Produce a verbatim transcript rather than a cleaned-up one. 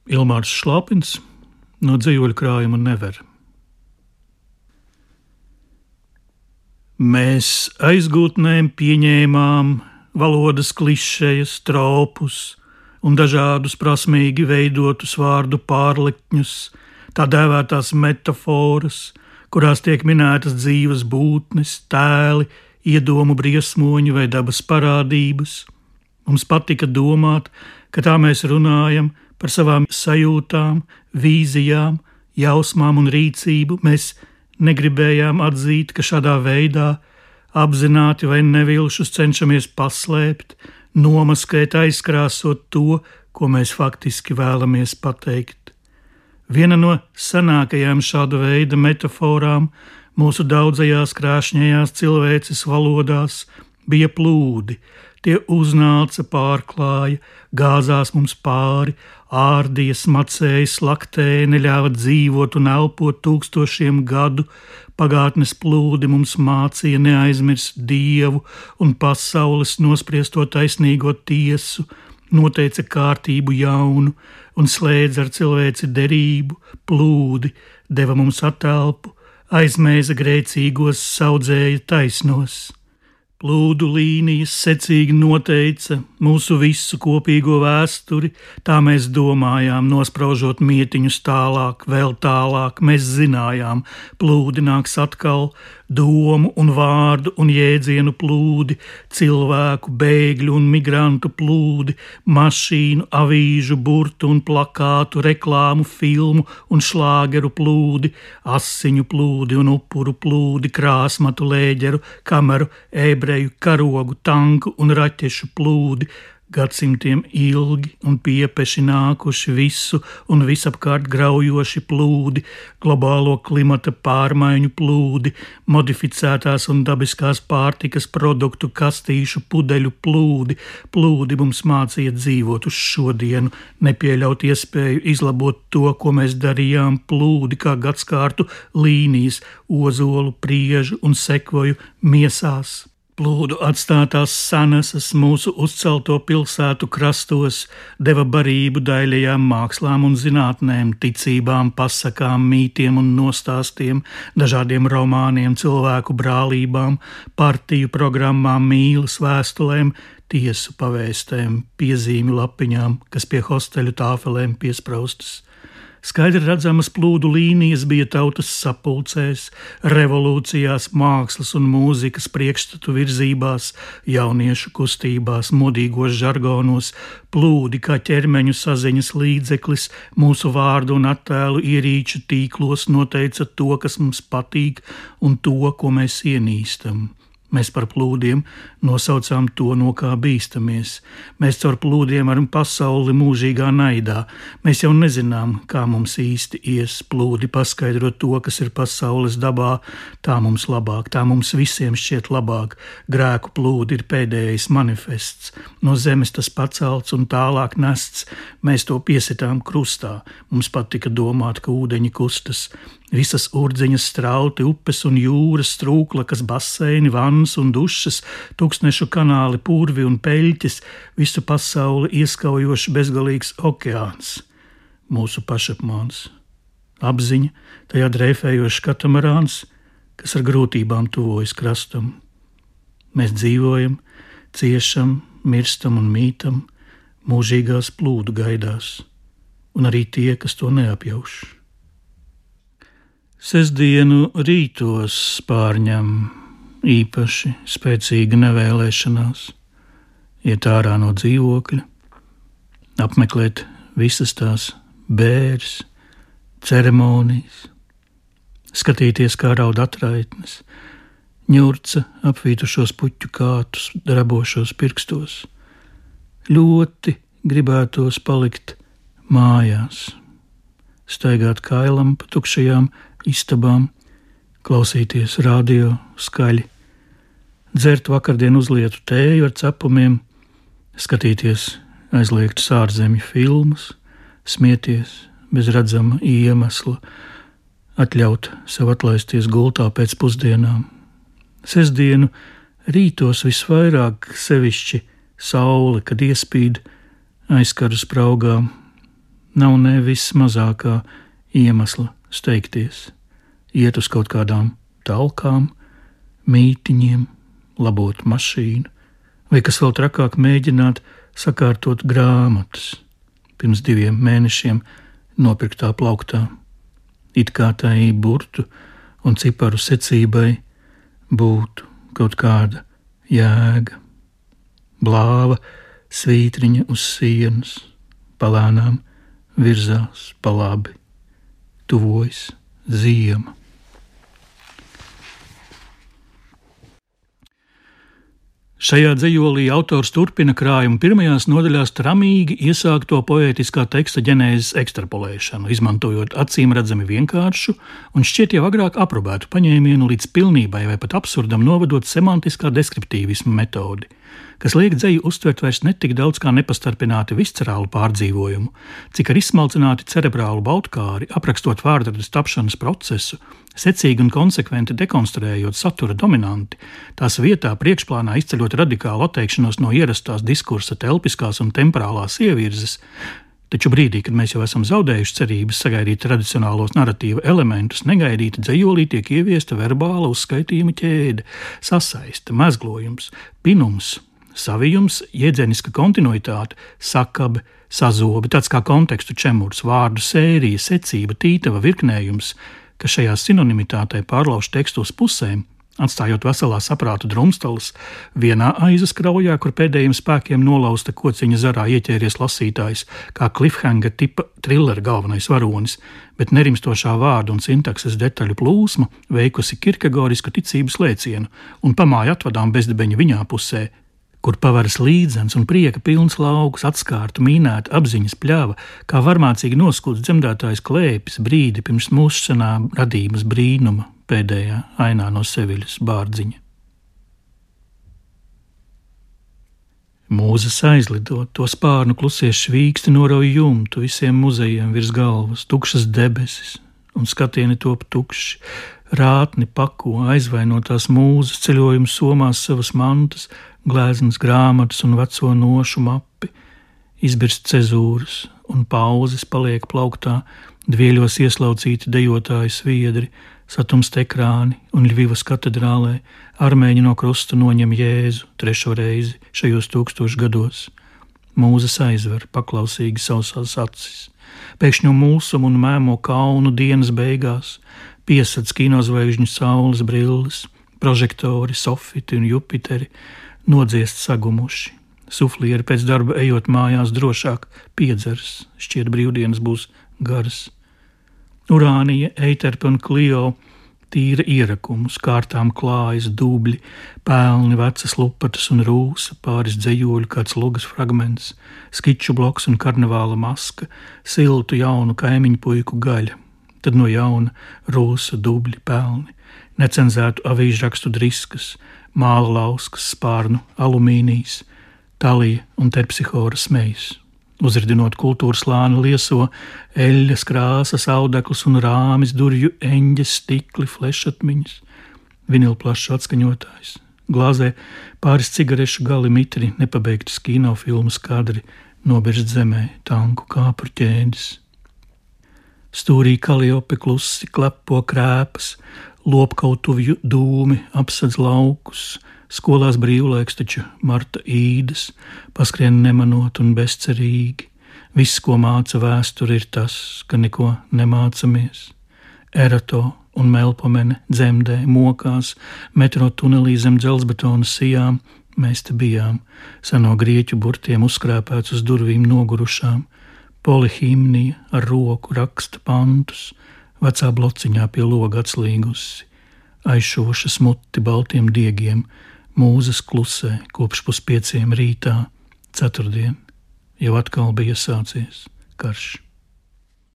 Ilmārs Šlapins no dzīvoļu krājuma Never. Mēs aizgūtnēm pieņēmām valodas klišejas, tropus un dažādus prasmīgi veidotus vārdu pārlikņus, tā dēvētās metaforas, kurās tiek minētas dzīves būtnes, tēli, iedomu briesmoņi vai dabas parādības. Mums patika domāt, ka tā mēs runājam par savām sajūtām, vīzijām, jausmām un rīcību. Mēs negribējām atzīt, ka šādā veidā apzināti vai nevilšus cenšamies paslēpt, nomaskēt, aizkrāsot to, ko mēs faktiski vēlamies pateikt. Viena no senākajām šāda veida metaforām mūsu daudzajās krāšņajās cilvēces valodās bija plūdi. Tie uznāca, pārklāja, gāzās mums pāri, ārdīja, smacēja, slaktēja, neļāva dzīvot un elpot tūkstošiem gadu. Pagātnes plūdi mums mācīja neaizmirst Dievu un pasaules nospriesto taisnīgo tiesu, noteica kārtību jaunu un slēdza ar cilvēci derību. Plūdi deva mums atelpu, aizmēza grēcīgos, saudzēja taisnos. Plūdu līnijas secīgi noteica mūsu visu kopīgo vēsturi, tā mēs domājām, nospraužot mietiņus tālāk, vēl tālāk. Mēs zinājām, plūdi nāks atkal, domu un vārdu un jēdzienu plūdi, cilvēku, bēgļu un migrantu plūdi, mašīnu, avīžu, burtu un plakātu, reklāmu, filmu un šlāgeru plūdi, asiņu plūdi un upuru plūdi, krāsmatu, lēģeru, kameru, ebreju, karogu, tanku un raķešu plūdi, gadsimtiem ilgi un piepeši nākuši visu un visapkārt graujoši plūdi, globālo klimata pārmaiņu plūdi, modificētās un dabiskās pārtikas produktu kastīšu pudeļu plūdi. Plūdi mums mācīja dzīvot uz šodienu, nepieļaut iespēju izlabot to, ko mēs darījām. Plūdi kā gadskārtu līnijas, ozolu, priežu un sekvoju miesās. Plūdu atstātās sanasas mūsu uzcelto pilsētu krastos deva barību daļajām mākslām un zinātnēm, ticībām, pasakām, mītiem un nostāstiem, dažādiem romāniem, cilvēku brālībām, partiju programmām, mīlas vēstulēm, tiesu pavēstēm, piezīmju lapiņām, kas pie hosteļu tāfelēm piespraustas. Skaidri redzamas plūdu līnijas bija tautas sapulcēs, revolūcijās, mākslas un mūzikas priekšstatu virzībās, jauniešu kustībās, modīgos žargonos. Plūdi kā ķermeņu saziņas līdzeklis mūsu vārdu un attēlu ierīču tīklos noteica to, kas mums patīk un to, ko mēs ienīstam. Mēs par plūdiem nosaucām to, no kā bīstamies. Mēs caur plūdiem varam pasauli mūžīgā naidā. Mēs jau nezinām, kā mums īsti ies. Plūdi paskaidro to, kas ir pasaules dabā. Tā mums labāk, tā mums visiem šķiet labāk. Grēku plūdi ir pēdējais manifests. No zemes tas pacelts un tālāk nests. Mēs to piesitām krustā. Mums patika domāt, ka ūdeņi kustas. Visas urdzeņas, strauti, upes un jūras, strūklakas, baseini, vannas un dušas, tūkstnešu kanāli, purvi un peļķis, visu pasauli ieskaujoši bezgalīgs okeāns. Mūsu pašapmāns. Apziņa, tajā dreifējošs katamarāns, kas ar grūtībām tuvojas krastam. Mēs dzīvojam, ciešam, mirstam un mītam, mūžīgās plūdu gaidās, un arī tie, kas to neapjauš. Sestdienu rītos pārņem īpaši spēcīga nevēlēšanās iet ārā no dzīvokļa, apmeklēt visas tās bēres, ceremonijas, skatīties, kā raud atraitnes, ņurca apvītušos puķu kātus, drabošos pirkstos. Ļoti gribētos palikt mājās, staigāt kailam pa tukšajām istabām, klausīties radio skaļi, dzert vakardien uzlietu tēju ar cepumiem, skatīties aizliegtas ārzemju filmas, smieties bez redzama iemesla, atļaut sev atlaisties gultā pēc pusdienām. Sestdienu rītos visvairāk sevišķi saule, kad iespīd, aizkaru spraugā, nav nevis mazākā iemesla steigties, iet uz kaut kādām talkām, mītiņiem, labot mašīnu, vai kas vēl trakāk mēģināt sakārtot grāmatas pirms diviem mēnešiem nopirktā plauktā. It kā tai burtu un ciparu secībai būtu kaut kāda jēga. Blāva svītriņa uz sienas, palēnām virzās pa labi, tuvojas ziema. Šajā dzejolī autors turpina krājuma pirmajās nodaļās tramīgi iesākto poētiskā teksta ģenēzes ekstrapolēšanu, izmantojot acīmredzami vienkāršu un šķiet jau agrāk aprobētu paņēmienu līdz pilnībai vai pat absurdam novedot semantiskā deskriptīvisma metodi, kas liek dzeju uztvert vairs netik daudz kā nepastarpināti viscerālu pārdzīvojumu, cik ar izsmalcināti cerebrālu baudkāri, aprakstot vārdradas tapšanas procesu, secīgi un konsekventi dekonstruējot satura dominanti, tās vietā priekšplānā izceļot radikālu atteikšanos no ierastās diskursa telpiskās un temporālās ievirzes, taču brīdī, kad mēs jau esam zaudējuši cerības sagaidīt tradicionālos narratīva elementus, negaidīti dzejolī tiek ieviesta verbāla uzskaitījuma ķēde, sasaiste, mezglojums, pinums, savijums, jēdzieniska kontinuitāte, sakabe, sazobe, tāds kā kontekstu čemurs, vārdu sērija, secība, tītava, virknējums, kas šajā sinonimitātē pārlauž tekstu uz pusēm, atstājot veselā saprāta drumstalas, vienā aizas kraujā, kur pēdējiem spēkiem nolausta kociņa zarā ieķēries lasītājs, kā cliffhanger tipa thriller galvenais varonis, bet nerimstošā vārdu un sintakses detaļu plūsma veikusi kirkegorisku ticības lēcienu un pamāja atvadām bezdibeņa viņā pusē, kur pavaras līdzens un prieka pilns lauks, atskārta, mīnēta apziņas pļava, kā varmācīgi noskūts dzemdētājs klēpis brīdi pirms mūsšanā radības brīnuma pēdējā ainā no Seviļas bārdziņa. Mūzas aizlidot, to spārnu klusie švīksti norauj jumtu visiem muzejiem virs galvas, tukšas debesis un skatieni top tukši, rātni pako aizvainotās mūzas ceļojums somās savas mantas, glēznas grāmatas un veco nošu mapi, izbirst cezūras un pauzes paliek plauktā, dvieļos ieslaucīti dejotāji sviedri, satumst ekrāni un Ļvivas katedrālē armēņi no krusta noņem Jēzu trešo reizi šajos tūkstošu gados. Mūzas aizver paklausīgi sausās acis, pēkšņo mulsumu un mēmo kaunu dienas beigās, piesadz kinozvaigžņu saules brilles, prožektori, sofiti un Jupiteri, nodziest sagumuši. Suflieri pēc darba ejot mājās drošāk piedzers, šķiet brīvdienas būs garas. Urānija, Eiterpe un Klio tīra ierakumus, kārtām klājas dubļi, pelni, vecas lupatas un rūsa, pāris dzejoļu, kāds lugas fragments, skiču bloks un karnevāla maska, siltu jaunu kaimiņu puiku gaļa, tad no jauna rūsa, dubļi, pelni, necenzētu avīžrakstu driskas, māla lauskas, spārnu, alumīnijas, talija un terpsihora smejas. Uzridinot kultūras lāni lieso, eļļas krāsas, audeklis un rāmis, durju eņģes, stikli, flešatmiņas, vinilplašs atskaņotājs, glāzē pāris cigarešu gali mitri, nepabeigtas kinofilmas kadri, nobirst zemē, tanku kāpru ķēdes. Stūrī Kaliope klusi klepo krēpas, lopkautuvju dūmi apsadz laukus, skolās brīvlaiks taču Marta īdas, paskrien nemanot un bezcerīgi. Viss, ko māca vēsture, ir tas, ka neko nemācamies. Erato un Melpomene dzemdē, mokās, metro tunelī zem dzelzbetona sijām, mēs te bijām, seno grieķu burtiem uzskrēpēts uz durvīm nogurušām, polihimnija ar roku raksta pantus, vecā blociņā pie loga atslīgusi, aizšoša smuti baltiem diegiem, mūzas klusē kopš puspieciem rītā, ceturtdien, jau atkal bija sācies karš.